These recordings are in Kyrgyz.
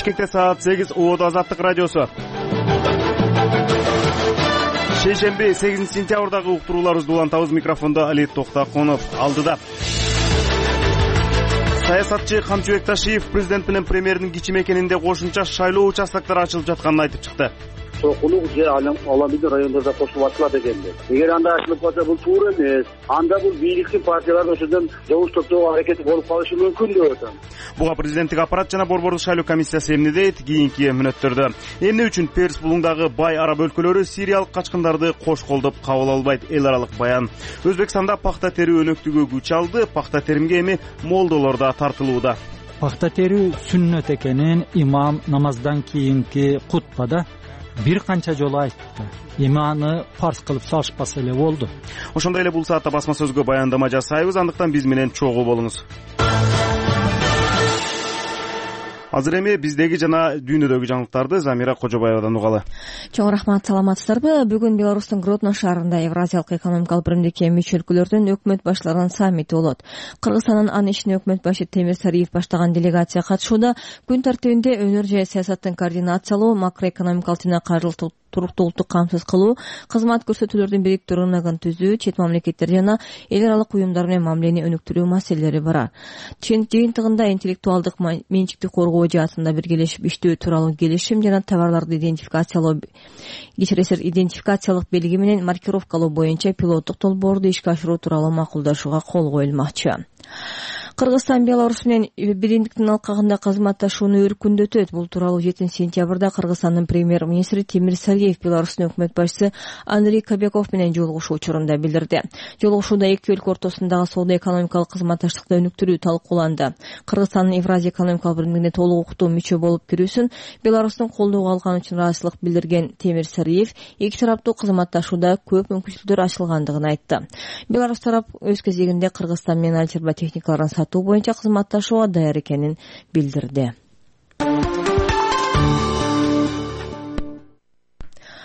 Бишкекте саат 8 УОД Азаттык радиосу. Шейшемби 8 сентябрдагы уктурууларыбызды улантабыз. Микрофондо Али Токтаконов алдыда. Саясатчы Камчыбек Ташиев президент менен премьердин кичи мекенинде кошумча шайлоо участоктары ачылып жатканын айтып чыкты. Чокулук же аламиди райондордо кошулуп ачылат экенди. Эгер анда ачылып калса бул туура эмес. Анда бул бийликтин партиялардын ошондон жабыштыруу аракети болуп калышы мүмкүн деп атам. Буга президенттик аппарат жана Борбордук шайлоо комиссиясы эмне дейт? Кийинки мүнөттөрдө. Эмне үчүн Перс булуңдагы бай араб өлкөлөрү сириялык качкындарды кош колдоп кабыл албайт? Эл аралык баян. Өзбекстанда пахта терүү өнөктүгү күч алды. Пахта теримге эми молдолор да тартылууда. Пахта терүү сүннөт экенин имам намаздан кийинки кутбада бир канча жолу айтты. Эми аны фарз кылып салышпаса эле болду. Ошондой эле бул саатта басма сөзгө баяндама жасайбыз, андыктан биз менен чогуу болуңуз. Азыр эми биздеги жана дүйнөдөгү жаңылыктарды Замира Кожобаевадан угалы. Чоң рахмат, саламатсыздарбы? Бүгүн Беларустун Гродно шаарында Евразиялык экономикалык биримдикке мүчө өлкөлөрдүн өкмөт баштарынын саммити болот. Кыргызстандын аны ишине өкмөт башы Темир Сариев баштаган делегация катышууда. Күн тартибинде өнөр жай саясаттын координациялоо, макроэкономикалык жана каржылык туруктуулукту камсыз кылуу, кызмат көрсөтүүлөрдүн бириктүү рыногун түзүү, чет мамлекеттер жана эл аралык уюмдар менен мамилени өнүктүрүү маселелери бар. Жыйынтыгында интеллектуалдык менчикти коргоо жаатында биргелешип иштөө тууралуу келишим жана товарларды идентификациялык белги менен маркировкалоо боюнча пилоттук долбоорду ишке ашыруу тууралуу макулдашууга кол коюлмакчы. Кыргызстан Беларусь менен биримдиктин алкагында кызматташууну өркүндөтөт. Бул тууралуу 7 сентябрда Кыргызстандын премьер-министри Темир Сариев Беларустун өкмөт башчысы Андрей Кобяков менен жолугушуу учурунда билдирди. Жолугушууда эки өлкө ортосундагы соода-экономикалык кызматташтыкты өнүктүрүү талкууланды. Кыргызстандын Евразия экономикалык биримдигине толук укуктуу мүчө болуп кирүүсүн Беларустун колдоого алганы үчүн ыраазычылык билдирген Темир Сариев эки тараптуу кызматташууда көп мүмкүнчүлүктөр ачылгандыгын айтты. Беларусь тарап өз кезегинде Кыргызстан менен алчырба техникаларын сатуу боюнча кызматташууга даяр экенин билдирди.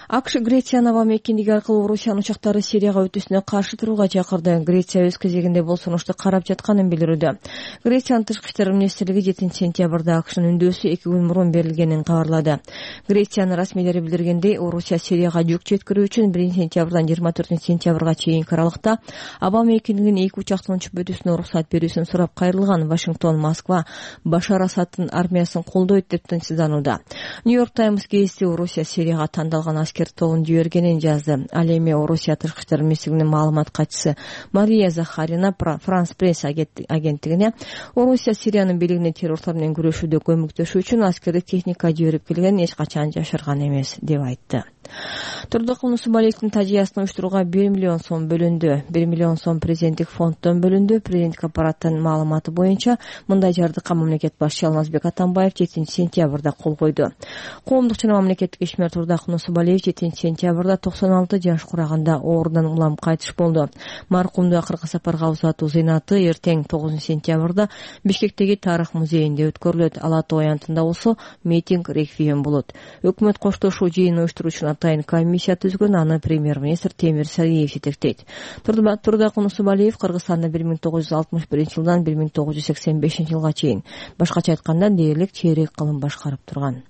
АКШ Грециянын аба мекендиги аркылуу Орусиянын учактары Сирияга өтүүсүнө каршы турууга чакырды. Греция өз кезегинде бул сунушту карап жатканын билдирүүдө. Грециянын тышкы иштер министрлиги 7 сентябрда АКШнын үндөөсү 2 күн мурун берилгенин кабарлады. Грециянын расмийлери билдиргендей, Орусия Сирияга жүк жеткирүү үчүн 1 сентябрдан 24 сентябрга чейинки аралыкта аба мекендигинин 2 учактын учуп өтүүсүнө уруксат берүүсүн сурап кайрылган. Вашингтон, Москва Башар Асаддын армиясын колдойт деп тынчсызданууда. Нью-Йорк Таймс гезити Орусия Сирияга тандалган аскер тобун жибергенин жазды. Ал эми Орусия тышкы иштер министрлигинин маалымат катчысы Мария Захарина Франс пресс агенттигине Орусия Сириянын бийлигине террорлор менен күрөшүүдө көмөктөшүү үчүн аскердик техника жиберип келгенин эч качан жашырган эмес деп айтты. Турдукул Нусубалиевдин тажыясын уюштурууга 1 миллион сом бөлүндү. 1 миллион сом президенттик фонддон бөлүндү. Президенттик аппараттын маалыматы боюнча мындай жардыкка мамлекет башчы Алмазбек Атамбаев 7 сентябрда кол койду. Коомдук жана мамлекеттик ишмер Турдукул Нусубалиев 7 сентябрда 96 жаш кураганда оорудан улам кайтыш болду. Маркумду акыркы сапарга узатуу зыйнаты эртең 9 сентябрда Бишкектеги Тарых музейинде өткөрүлөт. Ала Тоо аянтында болсо митинг реквием болот. Өкмөт коштошуу жыйын уюштуруучу атайын комиссия түзгөн, аны премьер-министр Темир Сариев жетектейт. Турдукул Нусубалиев Кыргызстанда 1961 жылдан 1985 жылга чейин, башкача айтканда дээрлик чейрек кылым башкарып турган.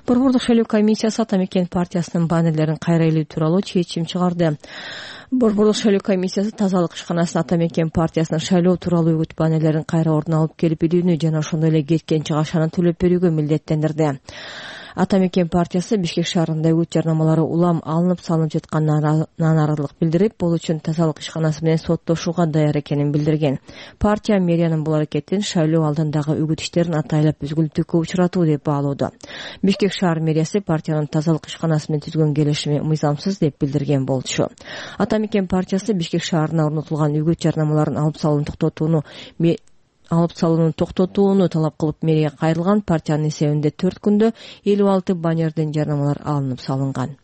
Борбордук шайлоо комиссиясы Ата Мекен партиясынын баннерлерин кайра илүү тууралуу чечим чыгарды. Борбордук шайлоо комиссиясы тазалык ишканасынын Ата Мекен партиясынын шайлоо тууралуу үгүт баннерлерин кайра ордуна алып келип илүүнү жана ошондой эле кеткен чыгашаны төлөп берүүгө милдеттендирди. Ата Мекен партиясы Бишкек шаарында үгүт жарнамалары улам алынып салынып жатканына нааразылык билдирип, бул үчүн тазалык ишканасы менен соттошууга даяр экенин билдирген. Партия мэриянын бул аракетин шайлоо алдындагы үгүт иштерин атайлап үзгүлтүккө учуратуу деп баалоодо. Бишкек шаар мэриясы партиянын тазалык ишканасы менен түзгөн келишими мыйзамсыз деп билдирген болчу. Ата Мекен партиясы Бишкек шаарына орнотулган үгүт жарнамаларын алып салууну токтотууну талап кылып мэрияга кайрылган. Партиянын эсебинде 4 күндө 56 баннерден жарнамалар алынып салынган.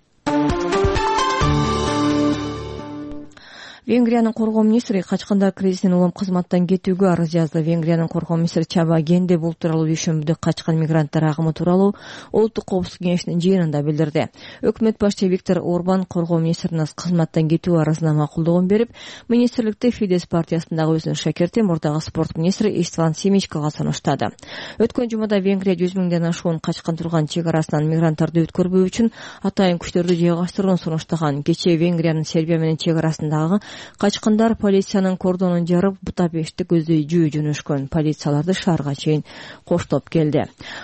Венгриянын коргоо министри качкандар кризисинен улам кызматтан кетүүгө арыз жазды. Венгриянын коргоо министри Чаба Генде бул тууралуу дүйшөмбүдө качкан мигранттар агымы тууралуу Улуттук коопсуздук кеңешинин жыйынында билдирди. Өкмөт башчы Виктор Орбан коргоо министрине кызматтан кетүү арызына макулдугун берип, министрликти Фидес партиясындагы өзүнүн шакерти мурдагы спорт министри Истван Симичкага сунуштады. Өткөн жумада Венгрия 100 миңден ашуун качкан турган чек арасынан мигранттарды өткөрбөө үчүн атайын күчтөрдү жайгаштырууну сунуштаган. Кечээ Венгриянын Сербия менен чек арасындагы качкандар полициянын кордонун жарып, Будапештти көздөй жөнөшкөн. Полицияларды шаарга чейин коштоп келди.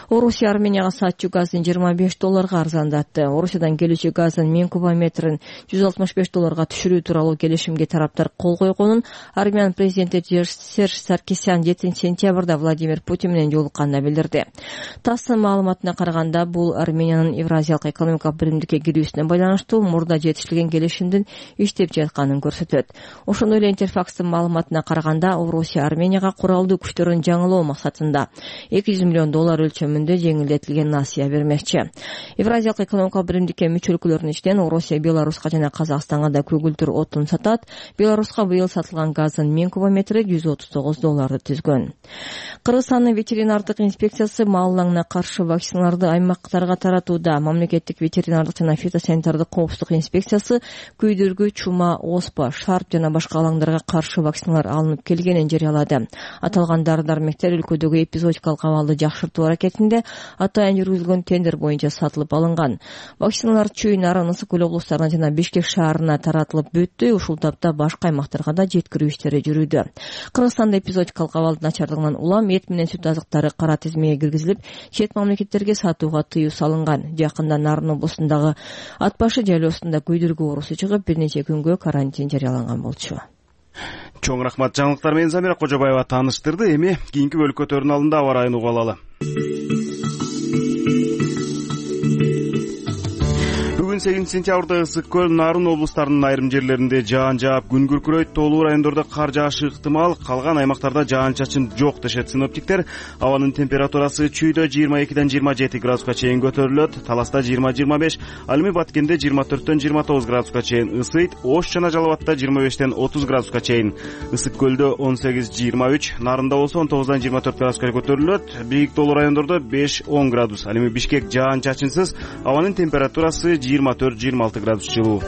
Орусия Арменияга саатчу газын $25 арзандатты. Орусиядан келүүчү газдын 1000 кубометрин $165 түшүрүү тууралуу келишимге тараптар кол койгонун Армян президенти Серж Саркисян 7 сентябрда Владимир Путин менен жолукканда билдирди. ТАССтын маалыматына караганда, бул Армениянын Евразиялык экономикалык биримдикке кирүүсүнө байланыштуу мурда жетишилген келишимдин иштеп жатканын көрсөтөт. Ошондой эле Интерфакстын маалыматына караганда, Орусия Арменияга куралдуу күчтөрүн жаңылоо максатында $200 миллион өлчөмүндө жеңилдетилген насыя бермекчи. Евразиялык экономикалык биримдикке мүчө өлкөлөрдүн ичинен Орусия Беларуска жана Казакстанга да көгүлтүр отун сатат. Беларуска быйыл сатылган газдын 1000 кубометри $139 түзгөн. Кыргызстандын ветеринардык инспекциясы маалыңына каршы вакциналарды аймактарга таратууда. Мамлекеттик ветеринардык жана фитосанитардык коопсуздук инспекциясы күйдүргү, чума, оспа, шарп жана башка алаңдарга каршы вакциналар алынып келгенин жарыялады. Аталган дары-дармектер өлкөдөгү эпизодикалык абалды жакшыртуу аракетинде атайын жүргүзүлгөн тендер боюнча сатылып алынган. Вакциналар Чүй, Нарын, Ысык көл облустарына жана Бишкек шаарына таратылып бүттү. Ушул тапта башка аймактарга да жеткирүү иштери жүрүүдө. Кыргызстанда эпизодикалык абалдын начардыгынан улам эт менен сүт азыктары кара тизмеге киргизилип, чет мамлекеттерге сатууга тыюу салынган. Жакында Нарын облусундагы Ат башы жайлоосунда күйдүргү оорусу чыгып, бир нече күнгө карантин жарыяланган болчу. Чоң рахмат. Жаңылыктар менен Замира Кожобаева тааныштырды. Эми кийинки бөлүккө көтөрүүнүн алдында аба ырайын угуп алалы. Бүгүн 8 сентябрда Ысык көл, Нарын облустарынын айрым жерлеринде жаан жаап, күн күркүрөйт, тоолуу райондордо кар жаашы ыктымал, калган аймактарда жаан-чачын жок дешет синоптиктер. Абанын температурасы Чүйдө 22-ден 27 градуска чейин көтөрүлөт, Таласта 20-25, ал эми Баткенде 24-төн 29 градуска чейин ысыйт, Ош жана Жалал Абадта 25-тен 30 градуска чейин. Ысык көлдө 18-23, Нарында болсо 19-дан 24 градуска көтөрүлөт, бийик тоолуу райондордо 5-10 градус. Ал эми Бишкек жаан-чачынсыз, абанын температурасы 24-26 градус жылуу.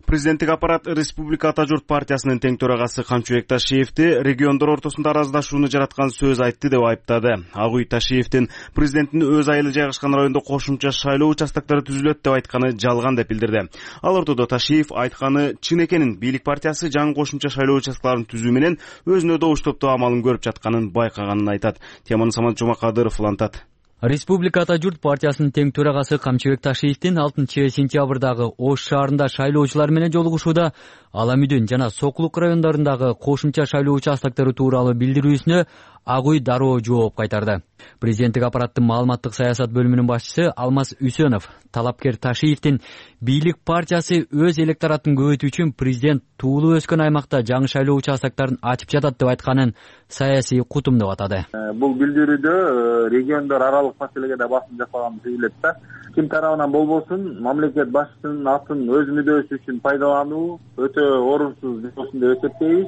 Президенттик аппарат Республика Ата журт партиясынын тең төрагасы Камчыбек Ташиевди региондор ортосунда араздашууну жараткан сөз айтты деп айыптады. Ак үй Ташиевдин президенттин өз айылы жайгашкан райондо кошумча шайлоо участоктору түзүлөт деп айтканы жалган деп билдирди. Ал ортодо Ташиев айтканы чын экенин, бийлик партиясы жаңы кошумча шайлоо участокторун түзүү менен өзүнө добуш топтоо амалын көрүп жатканын байкаганын айтат. Теманы Самат Жумакадыров улантат. Республика Ата журт партиясынын тең төрагасы Камчыбек Ташиевдин 6 сентябрдагы Ош шаарында шайлоочулар менен жолугушууда Аламүдүн жана Сокулук райондорундагы кошумча шайлоо участоктору тууралуу билдирүүсүнө Ак үй дароо жооп кайтарды. Президенттик аппараттын маалыматтык саясат бөлүмүнүн башчысы Алмаз Үсөнов талапкер Ташиевдин бийлик партиясы өз электоратын көбөйтүү үчүн президент туулуу өскөн аймакта жаңы шайлоо участокторун ачып жатат деп айтканын саясий кутум деп атады. Бул билдирүүдө региондор аралык маселеге да басым жасалганы сезилет да. Ким тарабынан болбосун, мамлекет башчысынын атын өз мүдөөсү үчүн пайдалануу өтө орунсуз деп эсептейбиз.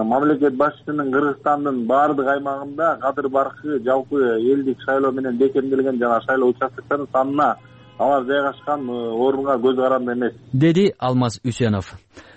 Мамлекет башчысынын Кыргызстандын баардык аймагында кадыр баркы жалпы элдик шайлоо менен бекемделген жана шайлоо участокторунун санына алар жайгашкан орунга көз каранды эмес, деди Алмаз Үсөнов.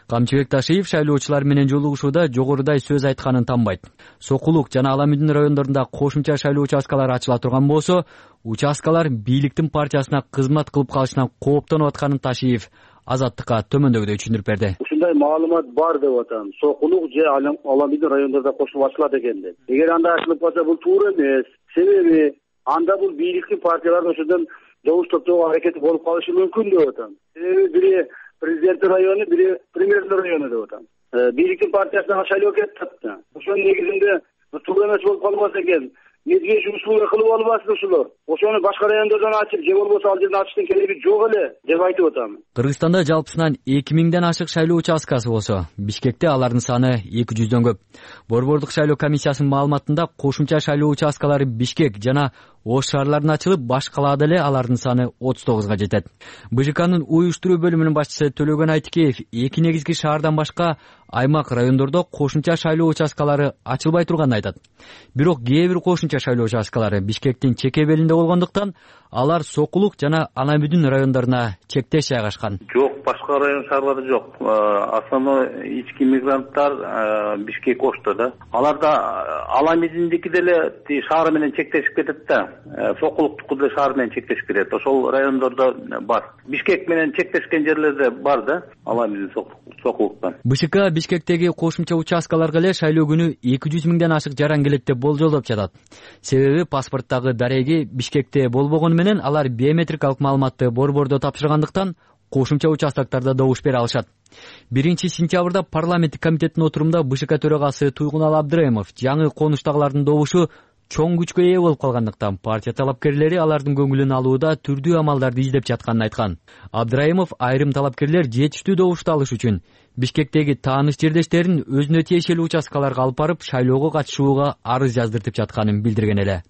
Камчыбек Ташиев шайлоочулар менен жолугушууда жогорудай сөз айтканын танбайт. Сокулук жана Аламүдүн райондорунда кошумча шайлоо участкалары ачыла турган болсо, участкалар бийликтин партиясына кызмат кылып калышынан кооптонуп атканын Ташиев Азаттыкка төмөндөгүдөй түшүндүрүп берди. Ушундай маалымат бар деп атам. Сокулук же Аламүдүн райондорунда кошулуп ачылат экен деп. Эгер анда ачылып калса, бул туура эмес. Себеби анда бул бийликтин партиялары ошондон добуш топтоого аракети болуп калышы мүмкүн деп атам. Себеби бири президенттик району, бири премьердик району деп атам. Бийликтин партиясына шайлоо кетти. Ошонун негизинде туура эмес болуп калбаса экен. Мезгил услуга кылып албасын ушулар. Ошону башка райондордон ачып, же болбосо ал жерден ачыштын кереги жок эле деп айтып атам. Кыргызстанда жалпысынан 2000ден ашык шайлоо участкасы болсо, Бишкекте алардын саны 200дөн көп. Борбордук шайлоо комиссиясынын маалыматында кошумча шайлоо участкалары Бишкек жана Ош шаарларына ачылып, баш калаада эле алардын саны 39га жетет. БЖКнын уюштуруу бөлүмүнүн башчысы Төлөгөн Айтикеев 2 негизги шаардан башка аймак райондордо кошумча шайлоо участкалары ачылбай турганын айтат. Бирок кээ бир кошумча шайлоо участкалары Бишкектин чеке белинде болгондуктан алар Сокулук жана Анамүдүн райондоруна чектеш жайгашкан. Жок, башка район шаарлары жок. Основной ички мигранттар Бишкек Ошто да. Аларда Анамүдүндики деле шаар менен чектешип кетет да. Сокулуктуку деле шаар менен чектешип кетет. Ошол райондордо бар. Бишкек менен чектешкен жерлерде бар да, Анамүдүн Сокулуктан. БШК Бишкектеги кошумча участкаларга эле шайлоо күнү 200 миңден ашык жаран келет деп болжолдоп жатат. Себеби паспорттагы дареги Бишкекте болбогону менен алар биометрикалык маалыматты борбордо тапшыргандыктан кошумча участоктарда добуш бере алышат. 1-сентябрда парламенттик комитеттин отурумунда БШК төрагасы Туйгунал Абдраимов жаңы конуштагылардын добушу чоң күчкө ээ болуп калгандыктан партия талапкерлери алардын көңүлүн алууда түрдүү амалдарды издеп жатканын айткан. Абдраимов айрым талапкерлер жетиштүү добушту алыш үчүн Бишкектеги тааныш жердештерин өзүнө тиешелүү участкаларга алып барып шайлоого катышууга арыз жаздыртып жатканын билдирген эле.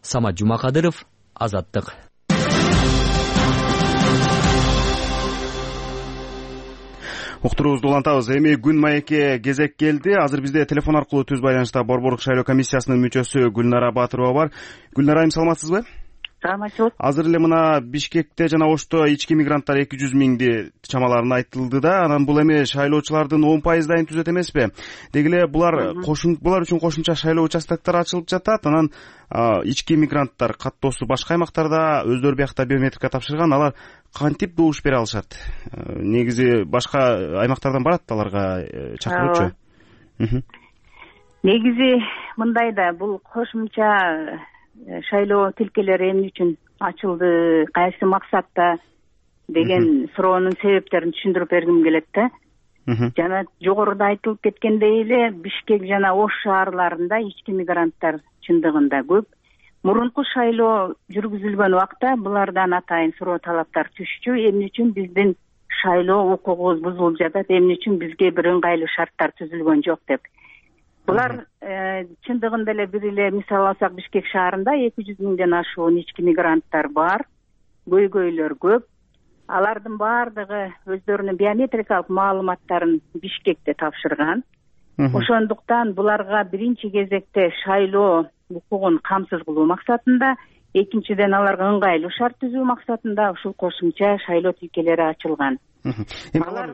Самат Жумакадыров, Азаттык. Уктуруубузду улантабыз. Эми күн маекке кезек келди. Азыр бизде телефон аркылуу түз байланышта Борборлук шайлоо комиссиясынын мүчөсү Гүлнара Батырова бар. Гүлнара, айым саламатсызбы? Саламатчылык. Азыр эле мына Бишкекте жана Ошто ички мигранттар 200 миңди чамаларын айтылды да, анан бул эми шайлоочулардын 10%дайын түзөт эмеспи? Деги эле булар үчүн кошумча шайлоо участоктор ачылып жатат. Анан ички мигранттар каттоосу башка аймактарда өздөрү биякта биометрика тапшырган, алар кантип добуш бере алышат? Негизи башка аймактардан барат аларга чакыруучу. Негизи мындай да, бул кошумча шайлоо тилкелери эмне үчүн ачылды, кайсы максатта деген суроонун себептерин түшүндүрүп бергим келет да. Жана жогоруда айтылып кеткендей эле Бишкек жана Ош шаарларында ички мигранттар чындыгында көп. Мурунку шайлоо жүргүзүлгөн убакта булардан атайын суроо талаптар түшчү. Эмне үчүн биздин шайлоо укугубуз бузулуп жатат, эмне үчүн бизге бир ыңгайлуу шарттар түзүлгөн жок деп. Булар чындыгында эле бир эле мисал алсак, Бишкек шаарында 200 миңден ашуун ички мигранттар бар, көйгөйлөр көп. Алардын баардыгы өздөрүнүн биометрикалык маалыматтарын Бишкекте тапшырган. Ошондуктан буларга биринчи кезекте шайлоо укугун камсыз кылуу максатында, экинчиден аларга ыңгайлуу шарт түзүү максатында ушул кошумча шайлоо тилкелери ачылган. Алар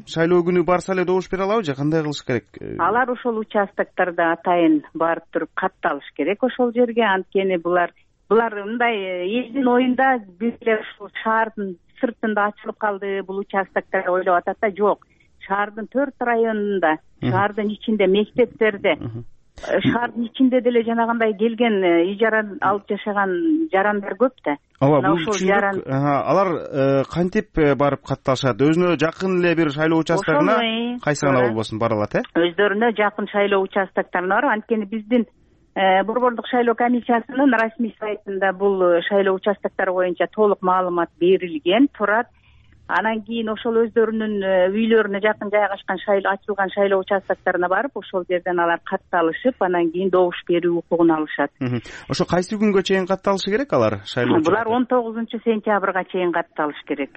шайлоо күнү барса эле добуш бере алабы же кандай кылыш керек? Алар ошол участоктордо атайын барып туруп катталыш керек ошол жерге. Анткени булар мындай элдин оюнда бир эле ушул шаардын сыртында ачылып калды бул участоктор ойлоп атат да. Жок, шаардын 4 районунда, шаардын ичинде, мектептерде, шаардын ичинде деле жанагындай келген ижара алып жашаган жарандар көп да. Ооба, бул түшүндүк. Алар кантип барып катталышат? Өзүнө жакын эле бир шайлоо участогуна, кайсы гана болбосун бара алат, Өздөрүнө жакын шайлоо участокторуна барып, анткени биздин Борборлук шайлоо комиссиясынын расмий сайтында бул шайлоо участоктору боюнча толук маалымат берилген турат. Анан кийин ошол өздөрүнүн үйлөрүнө жакын жайгашкан ачылган шайлоо участокторуна барып, ошол жерден алар катталышып, анан кийин добуш берүү укугун алышат. Ошо кайсы күнгө чейин катталышы керек алар шайлоочулар? Булар 19-сентябрга чейин катталыш керек.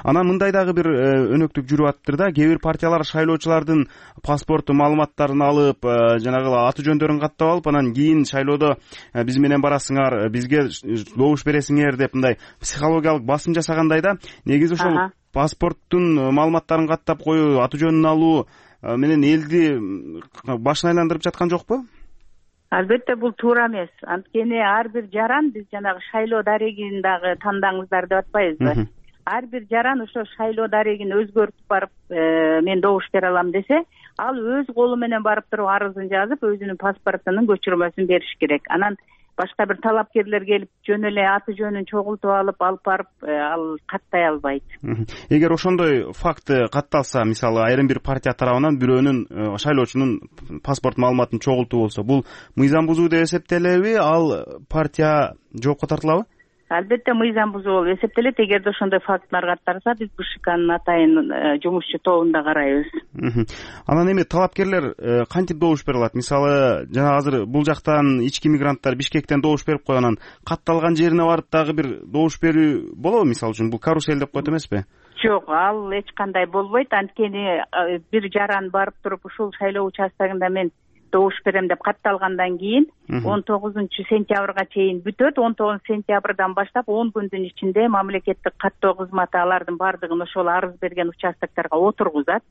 Анан мындай дагы бир өнөктүк жүрүп атыптыр да. Кээ бир партиялар шайлоочулардын паспортту маалыматтарын алып, жанагы аты жөндөрүн каттап алып, анан кийин шайлоодо биз менен барасыңар, бизге добуш бересиңер деп мындай психологиялык басым жасагандай да. Негизи ошол паспорттун маалыматтарын каттап коюу, аты жөнүн алуу менен элди башын айландырып жаткан жокпу? Албетте бул туура эмес. Анткени ар бир жаран, биз жанагы шайлоо дарегин дагы тандаңыздар деп атпайбызбы? Ар бир жаран ошо шайлоо дарегин өзгөртүп барып, мен добуш бере алам десе, ал өз колу менен барып туруп арызын жазып, өзүнүн паспортунун көчүрмөсүн бериш керек. Анан башка бир талапкерлер келип жөн эле аты жөнүн чогултуп алып барып, ал каттай албайт. Эгер ошондой факт катталса, мисалы айрым бир партия тарабынан бирөөнүн шайлоочунун паспорт маалыматын чогултуу болсо, бул мыйзам бузуу деп эсептелеби? Ал партия жоопко тартылабы? Албетте мыйзам бузуу болуп эсептелет. Эгерде ошондой фактылар катталса, биз БШКнын атайын жумушчу тобунда карайбыз. Анан эми талапкерлер кантип добуш бере алат? Мисалы, жана азыр бул жактан ички мигранттар Бишкектен добуш берип койгонун катталган жерине барып дагы бир добуш берүү болобу? Мисалы үчүн бул карусель деп коет эмеспи? Жок, ал эч кандай болбойт. Анткени бир жаран барып туруп ушул шайлоо участогунда мен добуш берем деп катталгандан кийин 19-сентябрга чейин бүтөт. 19-сентябрдан баштап 10 күндүн ичинде мамлекеттик каттоо кызматы алардын баардыгын ошол арыз берген участокторго отургузат.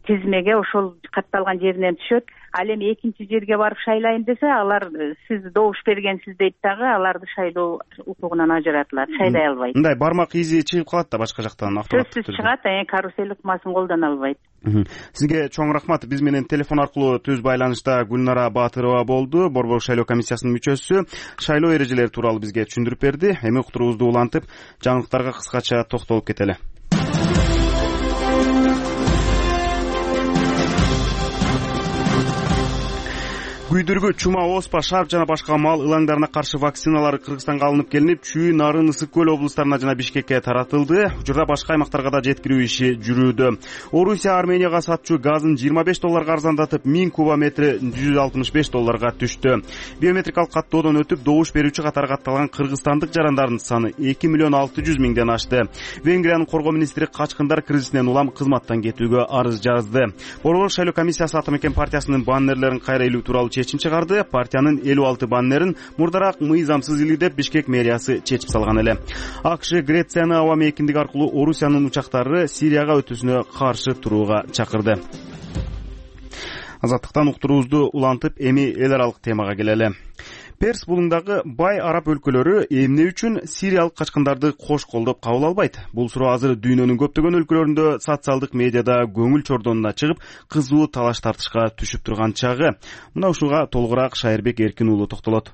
Тизмеге ошол катталган жеринен түшөт. Ал эми экинчи жерге барып шайлайын десе, алар сиз добуш бергенсиз дейт дагы, аларды шайлоо укугунан ажыратылат, шайлай албайт. Мындай бармак изи чыгып калат да башка жактан автоматтык түрдө. Сөзсүз чыгат, карусель ыкмасын колдоно албайт. Сизге чоң рахмат. Биз менен телефон аркылуу түз байланышта Гүлнара Баатырова болду, Борбор шайлоо комиссиясынын мүчөсү. Шайлоо эрежелери тууралуу бизге түшүндүрүп берди. Эми уктуруубузду улантып, жаңылыктарга кыскача токтолуп кетели. Күйдүргү, чума, оспа, шарп жана башка мал ылаңдарына каршы вакциналар Кыргызстанга алынып келинип, Чүй, Нарын, Ысык көл облустарына жана Бишкекке таратылды. Учурда башка аймактарга да жеткирүү иши жүрүүдө. Орусия Арменияга сатчу газын $25 арзандатып, 1000 кубометри $165 түштү. Биометрикалык каттоодон өтүп, добуш берүүчү катары катталган кыргызстандык жарандардын саны 2,600,000 ашты. Венгриянын коргоо министри качкындар кризисинен улам кызматтан кетүүгө арыз жазды. Борбор шайлоо комиссиясы Ата Мекен партиясынын баннерлерин кайра илүү тууралуу чечим чыгарды. Партиянын 56 баннерин мурдараак мыйзамсыз илүү деп Бишкек мэриясы чечип салган эле. АКШ Грецияны аба мейкиндиги аркылуу Орусиянын учактары Сирияга өтүүсүнө каршы турууга чакырды. Азаттыктан уктуруубузду улантып, эми эл аралык темага келели. Перс булуңдагы бай араб өлкөлөрү эмне үчүн сириялык качкындарды кош колдоп кабыл албайт? Бул суроо азыр дүйнөнүн көптөгөн өлкөлөрүндө социалдык медиада көңүл чордонуна чыгып, кызуу талаш тартышка түшүп турган чагы. Мына ушуга толугураак Шайырбек Эркин уулу токтолот.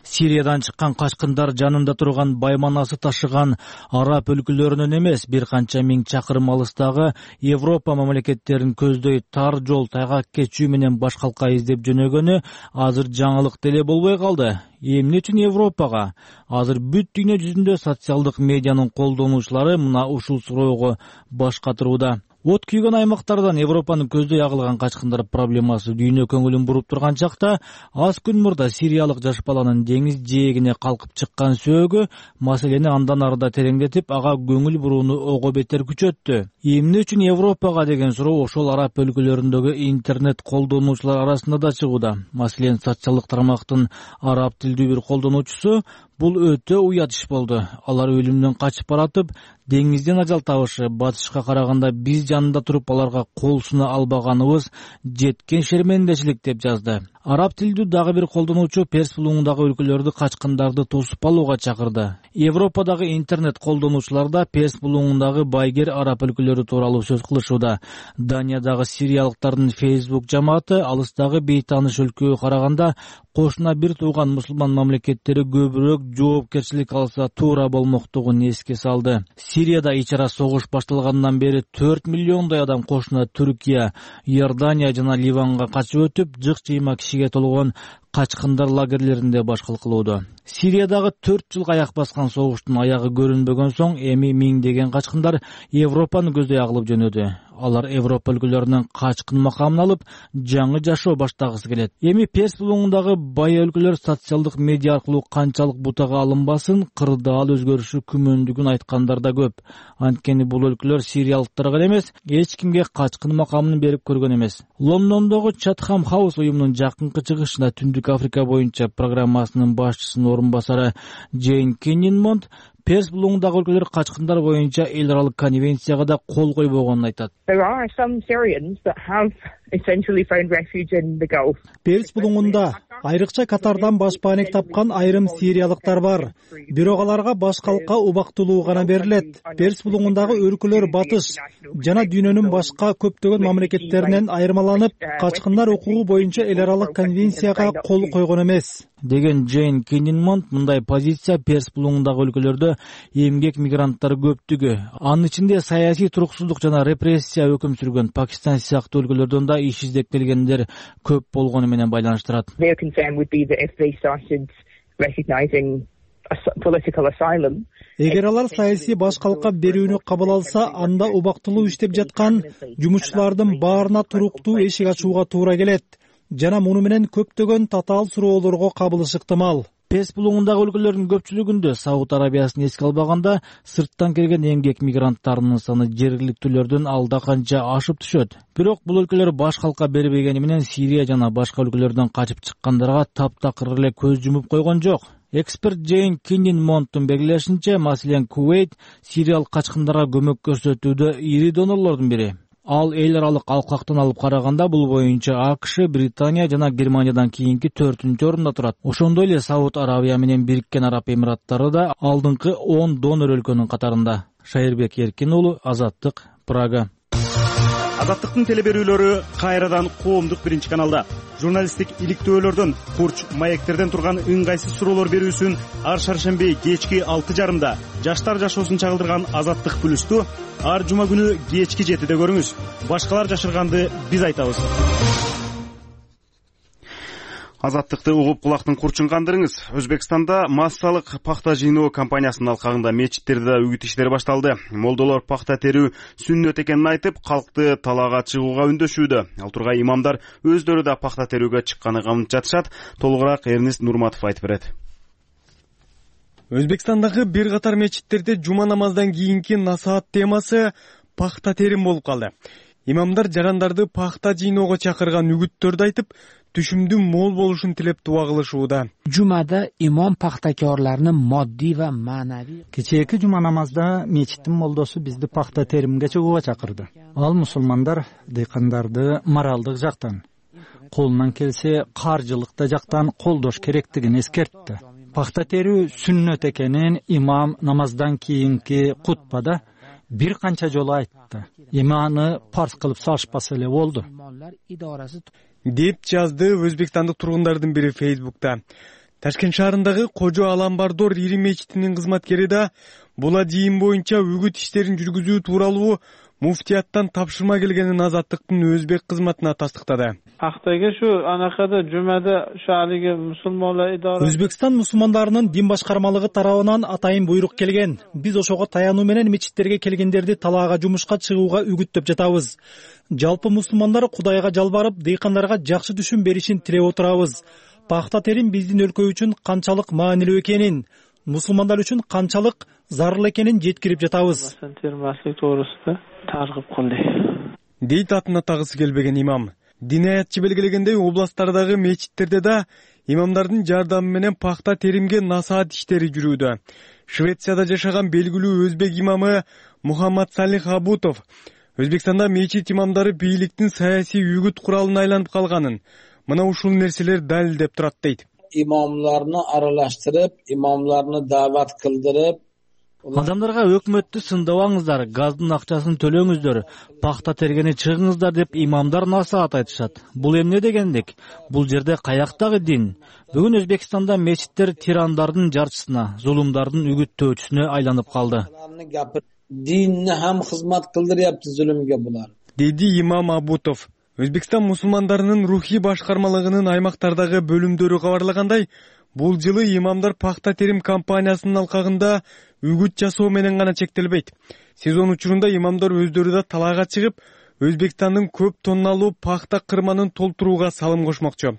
Сириядан чыккан качкындар жанында турган байманасы ташыган араб өлкөлөрүнөн эмес, бир канча миң чакырым алыстагы Европа мамлекеттерин көздөй тар жол тайгак кечүү менен баш калка издеп жөнөгөнү азыр жаңылык деле болбой калды. Эмне үчүн Европага? Азыр бүт дүйнө жүзүндө социалдык медианын колдонуучулары мына ушул суроого баш катырууда. От күйгөн аймактардан Европанын көздөй агылган качкындар проблемасы дүйнө көңүлүн буруп турган чакта, аз күн мурда сириялык жаш баланын деңиз жээгине калкып чыккан сөөгү маселени андан арыда тереңдетип, ага көңүл бурууну ого бетер күчөттү. Эмне үчүн Европага деген суроо ошол араб өлкөлөрүндөгү интернет колдонуучулар арасында да чыгууда. Маселен, социалдык тармактын араб тилдүү бир колдонуучусу бул өтө уят иш болду. Алар өлүмдөн качып баратып, деңизден ажал табышы, батышка караганда биз жанында туруп аларга кол суна албаганыбыз жеткен шермендечилик деп жазды. Араб тилдүү дагы бир колдонуучу Перс булуңундагы өлкөлөрдү качкындарды тосуп алууга чакырды. Европадагы интернет колдонуучулар да Перс булуңундагы байгер араб өлкөлөрү тууралуу сөз кылышууда. Даниядагы сириялыктардын Facebook жамааты алыстагы бейтааныш өлкөгө караганда кошуна бир тууган мусулман мамлекеттери көбүрөөк жоопкерчилик алса туура болмоктугун эске салды. Сирияда ичара согуш башталгандан бери 4 миллиондой адам кошуна Түркия, Иордания жана Ливанга качып өтүп, жык-жыйма кишиге толгон качкындар лагерлеринде башкал кылууда. Сириядагы 4 жылга аяк баскан согуштун аягы көрүнбөгөн соң эми миңдеген качкындар Европаны көздөй агылып жөнөдү. Алар Европа өлкөлөрүнөн качкын макамын алып, жаңы жашоо баштагысы келет. Эми Перс булуңундагы бай өлкөлөр социалдык медиа аркылуу канчалык бутага алынбасын, кырдаал өзгөрүшү күмөндүгүн айткандар да көп. Анткени бул өлкөлөр сириялыктарга эмес, эч кимге качкын макамын берип көргөн эмес. Лондондогу Chatham House уюмунун жакынкы чыгышында Түндүк Африка боюнча программасынын башчысынын орун басары Джейн Киннинмонт Перс булуңундагы өлкөлөр качкындар боюнча эл аралык конвенцияга да кол койбогонун айтат. Перс булуңунда айрыкча Катардан башпаанек тапкан айрым сириялыктар бар. Бирок аларга баш калка убактылуу гана берилет. Перс булуңундагы өлкөлөр батыш жана дүйнөнүн башка көптөгөн мамлекеттеринен айырмаланып, качкындар укугу боюнча эл аралык конвенцияга кол койгон эмес деген Джейн Киннинмонт. Мындай позиция Перс булуңундагы өлкөлөрдө эмгек мигранттары көптүгү, анын ичинде саясий туруксуздук жана репрессия өкүм сүргөн Пакистан сыяктуу өлкөлөрдөн да иш издеп келгендер көп болгону менен байланыштырат. Эгер алар саясий башкалыкка берүүнү кабыл алса, анда убактылуу иштеп жаткан жумушчулардын баарына туруктуу эшик ачууга туура келет жана муну менен көптөгөн татаал суроолорго кабылышы ыктымал. Перс булуңундагы өлкөлөрдүн көпчүлүгүндө Сауд Арабиясын эске албаганда сырттан келген эмгек мигранттарынын саны жергиликтүүлөрдөн алда канча ашып түшөт. Бирок бул өлкөлөр баш калка бербегени менен Сирия жана башка өлкөлөрдөн качып чыккандарга таптакыр эле көз жумуп койгон жок. Эксперт Джейн Киннинмонттун белгилешинче, маселен Кувейт сириялык качкындарга көмөк көрсөтүүдө ири донорлордун бири. Ал эл аралык алкактан алып караганда бул боюнча АКШ, Британия жана Германиядан кийинки 4-орунда турат. Ошондой эле Сауд Арабия менен Бириккен Араб Эмираттары да алдыңкы 10 донор өлкөнүн катарында. Шайырбек Эркин уулу, Азаттык, Прага. Азаттыктын телеберүүлөрү кайрадан коомдук биринчи каналда. Журналисттик иликтөөлөрдөн, курч маектерден турган ыңгайсыз суроолор берүүсүн ар шаршемби кечки 6:30 жаштар жашоосун чагылдырган Азаттык плюсту ар жума күнү кечки 7-де көрүңүз. Башкалар жашырганды биз айтабыз. Азаттыкты угуп кулактын курчун кандырыңыз. Өзбекстанда массалык пахта жыйноо кампаниясынын алкагында мечиттерде үгүт иштери башталды. Молдолор пахта терүү сүннөт экенин айтып, калкты талаага чыгууга үндөшүүдө. Ал тургай имамдар өздөрү да пахта терүүгө чыкканы камынып жатышат. Толугураак Эрнест Нурматов айтып берет. Өзбекстандагы бир катар мечиттерде жума намаздан кийинки насаат темасы пахта терим болуп калды. Имамдар жарандарды пахта жыйноого чакырган үгүттөрдү айтып, түшүмдүн мол болушун тилеп дуа кылышууда. Жумада имам пахтакорларны моддий ва маанавий. Кечээки жума намазда мечиттин молдосу бизди пахта теримге чыгууга чакырды. Ал мусулмандар дыйкандарды моралдык жактан, колунан келсе каржылык жактан колдош керектигин эскертти. Пахта терүү сүннөт экенин имам намаздан кийинки кутбада бир канча жолу айтты. Иманы парз кылып салышпаса эле болду, деп жазды өзбекстандык тургундардын бири Фейсбукта. Ташкент шаарындагы Кожо Аламбардор ири мечитинин кызматкери да бул жыйын боюнча үгүт иштерин жүргүзүү тууралуу муфтияттан тапшырма келгенин Азаттыктын өзбек кызматына тастыктады. Актайга шу анакада жумада шаалиги мусулмандар идара. Өзбекстан мусулмандарынын дин башкармалыгы тарабынан атайын буйрук келген. Биз ошого таянуу менен мечиттерге келгендерди талаага жумушка чыгууга үгүттөп жатабыз. Жалпы мусулмандар Кудайга жалбарып, дыйкандарга жакшы түшүм беришин тилеп отурабыз. Пахта терим биздин өлкө үчүн канчалык маанилүү экенин, мусулмандар үчүн канчалык зарыл экенин жеткирип жатабыз. Дейт атына тагысы келбеген имам. Дин аятчы белгилегендей областтардагы мечиттерде да имамдардын жардамы менен пахта теримге насаат иштери жүрүүдө. Швецияда жашаган белгилүү өзбек имамы Мухаммад Салих Абутов Өзбекстанда мечит имамдары бийликтин саясий үгүт куралына айланып калганын, мына ушул нерселер далилдеп турат дейт. Имамларны аралаштырып, имамларны даават кылдырып, адамдарга өкмөттү сындабаңыздар, газдын акчасын төлөңүздөр, пахта тергени чыгыңыздар деп имамдар насаат айтышат. Бул эмне дегендик? Бул жерде каяктагы дин? Бүгүн Өзбекстанда мечиттер тирандардын жарчысына, зулумдардын үгүттөөчүсүнө айланып калды. Dinni ham xizmat qildiryapti zulmga bular. Dedi имам Абутов. Өзбекстан мусулмандарынын рухий башкармалыгынын аймактардагы бөлүмдөрү кабарлагандай, бул жылы имамдар пахта терим кампаниясынын алкагында үгүт жасоо менен гана чектелбейт. Сезон учурунда имамдар өздөрү да талаага чыгып, Өзбекстандын көп тонналуу пахта кырманын толтурууга салым кошмокчу.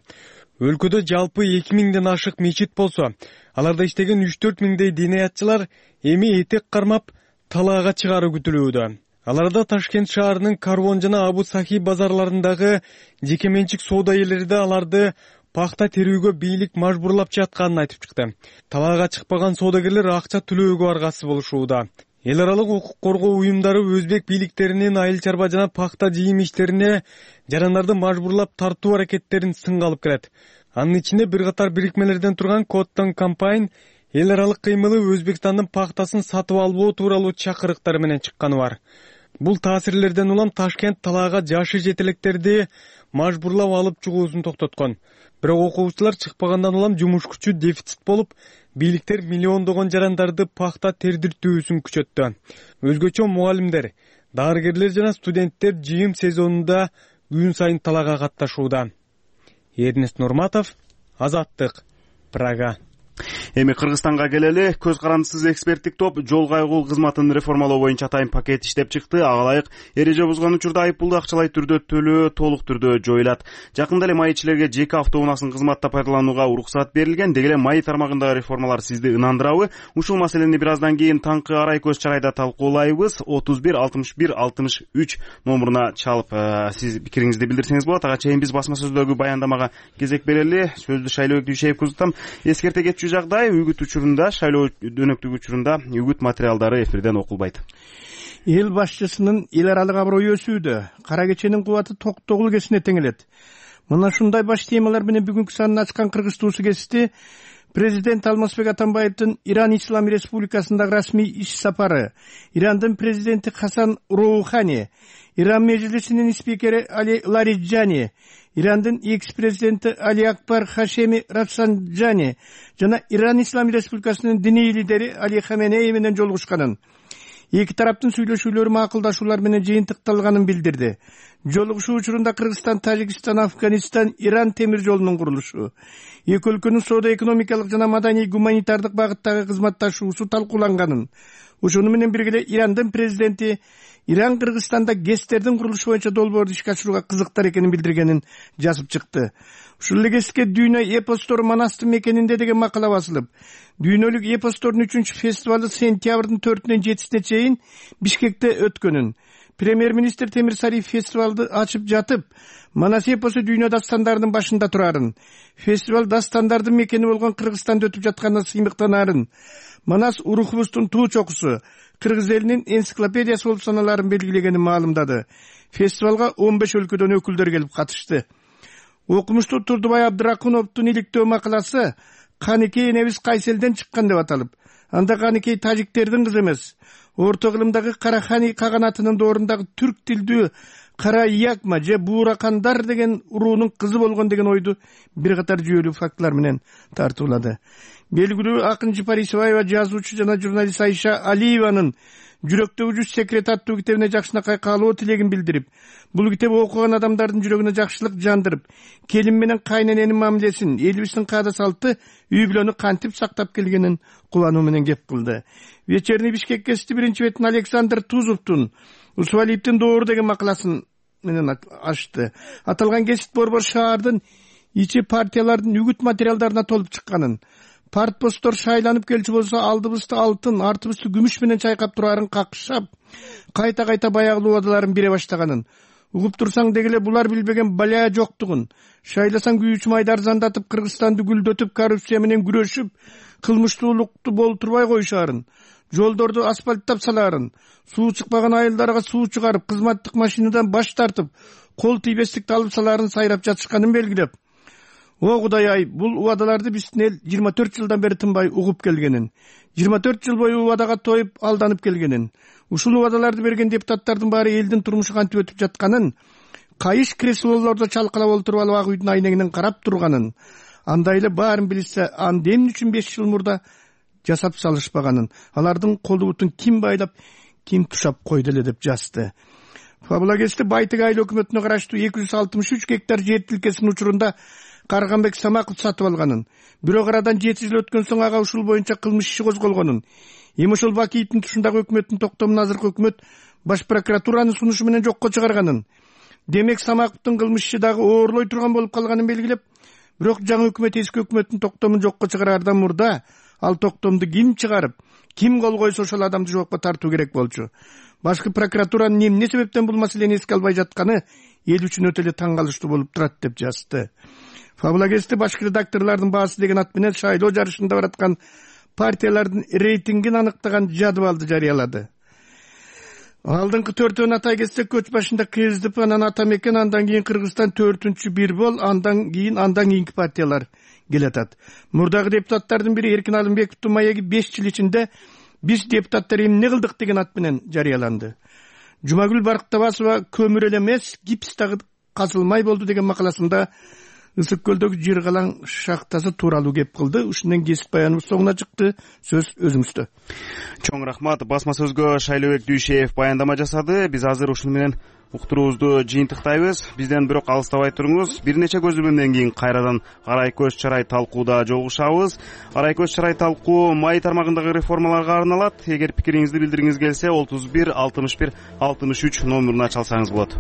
Өлкөдө жалпы 2000ден ашык мечит болсо, аларда иштеген 3-4 миңдей дин аятчылар эми этек кармап талаага чыгаруу күтүлүүдө. Аларда Ташкент шаарынын Карвон жана Абу Сахи базарларындагы жекеменчик соода ээлери да аларды пахта терүүгө бийлик мажбурлап жатканын айтып чыкты. Талаага чыкпаган соодагерлер акча төлөөгө аргасыз болушууда. Эл аралык укук коргоо уюмдары өзбек бийликтеринин айыл чарба жана пахта жыйым иштерине жарандарды мажбурлап тартуу аракеттерин сынга алып келет. Анын ичинде бир катар бирикмелерден турган Коттон Кампайн эл аралык кыймылы Өзбекстандын пахтасын сатып албоо тууралуу чакырыктар менен чыкканы бар. Бул таасирлерден улам Ташкент талаага жашы жетелектерди мажбурлап алып чыгуусун токтоткон. Бирок окуучулар чыкпагандан улам жумуш күчү дефицит болуп, бийликтер миллиондогон жарандарды пахта тердиртүүсүн күчөттү. Өзгөчө мугалимдер, дарыгерлер жана студенттер жыйым сезонунда күн сайын талаага катташууда. Эрнест Нурматов, Азаттык, Прага. Эми Кыргызстанга келели. Көз карандысыз эксперттик топ жол кайгыл кызматын реформалоо боюнча атайын пакет иштеп чыкты. Ага ылайык эреже бузган учурда айыппулду акчалай түрдө төлөө толук түрдө жоюлат. Жакында эле майчилерге жеке автоунаасын кызматта пайдаланууга уруксат берилген. Деги эле май тармагындагы реформалар сизди ынандырабы? Ушул маселени бир аздан кийин таңкы арай көз чарайда талкуулайбыз. 31 61 63 номуруна чалып сиз пикириңизди билдирсеңиз болот. Ага чейин биз басма сөздөгү баяндамага кезек берели. Сөздү Шайлообек Дүйшеевке узатам. Эскерте кетчү жагдай үгүт учурунда, шайлоо дөөнөктүк учурунда үгүт материалдары эфирден окулбайт. Эл башчысынын эл аралык аброю өсүүдө, кара кеченин кубаты токтогул кесине теңелет. Мына ушундай баш темалар менен бүгүнкү санын ачкан Кыргыз туусу кести президент Алмазбек Атамбаевдин Иран Ислам Республикасындагы расмий иш сапары, Ирандын президенти Хасан Роухани, Иран межлисинин спикери Али Лариджани, Ирандын экс-президенти Али Акбар Хашеми Рафсанджани жана Иран Ислам Республикасынын диний лидери Али Хаменеи менен жолугушканын, эки тараптын сүйлөшүүлөрү макулдашуулар менен жыйынтыкталганын билдирди. Жолугушуу учурунда Кыргызстан, Тажикстан, Афганистан, Иран темир жолунун курулушу, эки өлкөнүн соода-экономикалык жана маданий гуманитардык багыттагы кызматташуусу талкууланганын, ошону менен бирге эле Ирандын президенти Иран Кыргызстанда ГЭСтердин курулушу боюнча долбоорду ишке ашырууга кызыктар экенин билдиргенин жазып чыкты. Ушул эле ГЭСке дүйнө эпостору Манастын мекенинде деген макала басылып, дүйнөлүк эпостордун 3-чү фестивалы сентябрдын 4-нөн 7-сине чейин Бишкекте өткөнүн, премьер-министр Темир Сариев фестивалды ачып жатып, Манас эпосу дүйнө дастандарынын башында турарын, фестиваль дастандардын мекени болгон Кыргызстанда өтүп жатканына сыймыктанарын, Манас урухубуздун туу чокусу, Кыргыз элинин энциклопедиясы болуп саналарын белгилегенин маалымдады. Фестивалга 15 өлкөдөн өкүлдөр келип катышты. Окумуштуу Турдубай Абдракуновдун иликтөө макаласы Каникей энебиз кайсы элден чыккан деп аталып, анда Каникей тажиктердин кызы эмес, орто кылымдагы Карахани каганатынын доорундагы түрк тилдүү Кара Якма же Бууракандар деген уруунун кызы болгон деген ойду бир катар жүйөлүү фактылар менен тартуулады. Белгилүү акынчы Парисбаева, жазуучу жана журналист Айша Алиеванын Жүрөктөгү жүз секрет аттуу китебине жакшынакай каалоо тилегин билдирип, бул китеп окуган адамдардын жүрөгүнө жакшылык жандырып, келин менен кайнененин мамилесин, элибиздин каада салты, үй бүлөнү кантип сактап келгенин кубануу менен кеп кылды. Вечерний Бишкек гезити биринчи бетин Александр Тузовдун Усвалиевдин доору деген макаласын менен ачты. Аталган гезит борбор шаардын ичи партиялардын үгүт материалдарына толуп чыкканын, партпосттор шайланып келчү болсо алдыбызды алтын, артыбызды күмүш менен чайкап турарын какшап, кайта баягы убадаларын бере баштаганын, угуп турсаң дегеле булар билбеген баля жоктугун, шайласаң күйүүчү майды арзандатып, Кыргызстанды гүлдөтүп, коррупция менен күрөшүп, кылмыштуулукту болтурбай коюшаарын, жолдорду асфальттап салаарын, суу чыкпаган айылдарга суу чыгарып, кызматтык машинадан баш тартып, кол тийбестикти алып салаарын сайрап жатышканын белгилеп, о Кудай-ай, бул убадаларды биздин эл 24 жылдан бери тынбай угуп келгенин, 24 жыл бою убадага тоюп алданып келгенин, ушул убадаларды берген депутаттардын баары элдин турмушу кантип өтүп жатканын, кайыш креслолордо чалкалап олтуруп алып ак үйдүн айнегинен карап турганын, андай эле баарын билсе, аны эмне үчүн 5 жыл мурда жасап салышпаганын, алардын колу бутун ким байлап, ким тушап койду эле деп жазды. Фабулагесте Байтык айыл өкмөтүнө караштуу 263 гектар жер тилкесинин учурунда Карганбек Самаков сатып алганын, бирок арадан 7 жыл өткөн соң ага ушул боюнча кылмыш иши козголгонун, эми ошол Бакиевдин тушундагы өкмөттүн токтомун азыркы өкмөт баш прокуратуранын сунушу менен жокко чыгарганын, демек Самаковдун кылмыш иши дагы оорлой турган болуп калганын белгилеп, бирок жаңы өкмөт эски өкмөттүн токтомун жокко чыгараардан мурда ал токтомду ким чыгарып, ким кол койсо ошол адамды жоопко тартуу керек болчу. Башкы прокуратуранын эмне себептен бул маселени эске албай жатканы эл үчүн өтө эле таң калыштуу болуп турат деп жазды. Фабулагесте башкы редакторлордун баасы деген ат менен шайлоо жарышында бараткан партиялардын рейтингин аныктаган жадыбалды жарыялады. Алдыңкы 4-өн атай кетсек, көч башында КСДП, анан Ата Мекен, андан кийин Кыргызстан 4-чү бир бол, андан кийинки партиялар келатат. Мурдагы депутаттардын бири Эркин Алымбековдун маеги 5 жыл ичинде биз депутаттар эмне кылдык деген ат менен жарыяланды. Жумагүл Барктабасова көмүр эле эмес, гипс дагы казылмай болду деген макаласында Ысык көлдөгү жер калаң шахтасы тууралуу кеп кылды. Ушундан кесип баяныбыз соңуна чыкты. Сөз өзүңүздө. Чоң рахмат. Басма сөзгө Шайлообек Дүйшеев баяндама жасады. Биз азыр ушуну менен уктуруубузду жыйынтыктайбыз. Бизден бирок алыстабай туруңуз. Бир нече көзөмөлдөн кийин кайрадан Арай көз чарай талкууда жолугушабыз. Арай көз чарай талкуу май тармагындагы реформаларга арналат. Эгер пикириңизди билдиргиңиз келсе 31 61 63 номуруна чалсаңыз болот.